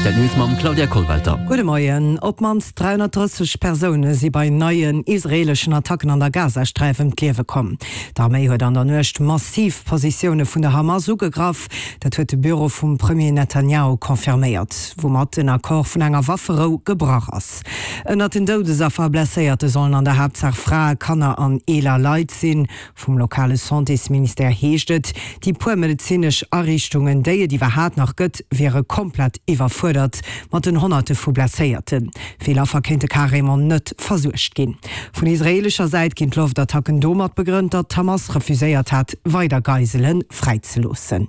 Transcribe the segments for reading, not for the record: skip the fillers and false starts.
Rtl News mam Claudia Kollwelter. Gudde Moien. Op d'mannst 330 Persoune si bei neien israeeleschen Attacken an der Gazasträif ëm d'Liewe komm. D'Arméi huet an der Nuecht massiv Positioune vun der Hamas ugegraff. Dat huet de Büro vum Premier Netanjahu confirméiert, woumat den Accord vun enger Wafferou gebrach ass. Ënnert den Doudesaffer a Blesséierte sollen an der Haaptsaach Frae, Kanner an eeler Leit sinn. Vum lokale Santésministère heescht et, déi puer medezinesch Ariichtungen, déi et iwwerhaat nach gëtt, wiere komplett iwwerfuerdert mat den Honnerte vu Blesséierten. Vill Affer kéinte carrément net versuergt ginn. Vun israeelescher Säit ginn d'Loftattacken domat begrënnt, datt d'Hamas refuséiert hat, weider Geisele fräizeloossen.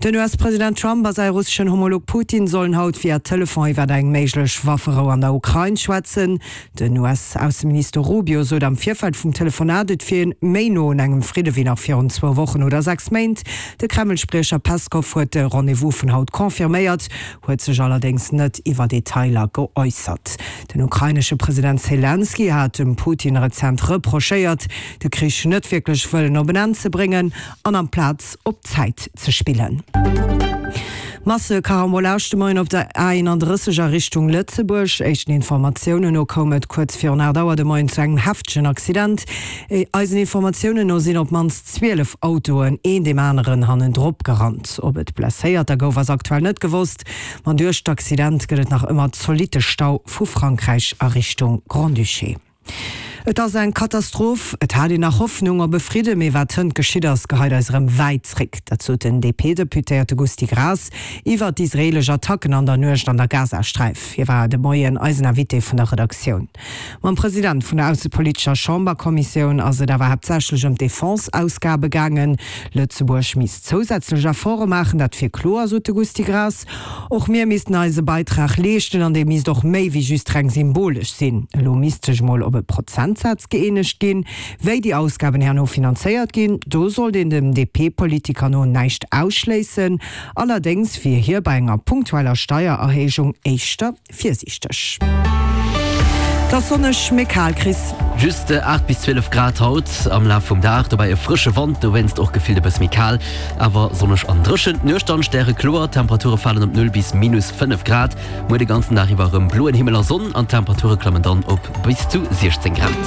Den US-President Trump a säi russeschen Homolog Putin sollen haut via Telefon iwwer eng méiglech Wafferou an der Ukrain schwätzen. Den US-Ausseminister Rubio sot am Virfeld vum Telefonat, et wier een méi no un engem Fridde wéi nach virun zwou Wochen oder 6 Méint. De Kreml-Spriecher Peskov huet de Rendez-vous vun haut confirméiert, huet sech allerdéngs net iwwer Detailer geäussert. Den ukrainesche President Selenskyj hat dem Putin rezent reprochéiert, de Krich net wierklech wëllen op en Enn ze bréngen an amplaz op Zäit ze spillen. Masse-Karambolage de Moien op der A31 a Richtung Lëtzebuerg. Éischten Informatiounen no koum et kuerz virun 8 Auer de Moien zu engem heftegen Accident. Eisen Informatiounen no sinn op d'mannst 12 Autoen een deem aneren hannendrop gerannt. Ob et Blesséierter gouf, ass aktuell net gewosst. Ma duerch d'Accident gëtt et nach ëmmer zolitte Stau vu Frankräich a Richtung Grand-Duché. Et ass eng Katastroph. Et hat een nach Hoffnung op e Fridde, mee wat hënt geschitt ass, geheit eis erëm wäit zréck. Dat sot den DP-Deputéierte Gusty Graas iwwer d'israeelesch Attacken an der Nuecht an der Gazasträif. Hie war de Moien eisen Invité vun der Redaktioun. Mam President vun der aussepolitescher Chamberkommissioun ass et awer haaptsächlech ëm d'Defense-Ausgabe gaangen. Lëtzebuerg misst zousätzlech Efforte maachen, dat wier kloer, sot de Gusty Graas. Och mir missten eise Beitrag leeschten an dee misst och méi wéi just reng symbolesch sinn. Elo misst sech mol op e Prozentsaz gëeenegt ginn. Wéi déi Ausgaben herno finanzéiert ginn, do sollt een dem DP-Politiker no näischt ausschléissen. Allerdéngs wier hie bei enger punktueller Steiererhéijung éischter virsiichteg. Et ass sonneg, mee kal, Chris. Just 8 bis 12 Grad haut am Laf vum Dag, dobäi e frësche Wand, dowéinst och gefillt e bësse méi kal, awer sonneg an dréchen. D'Nuecht dann stärekloer, d'Temperature falen op 0 bis minus 5 Grad. Muer de ganzen Dag iwwer erëm bloen Himmel a Sonn an d'Temperature klammen dann op bis zu 16 Grad.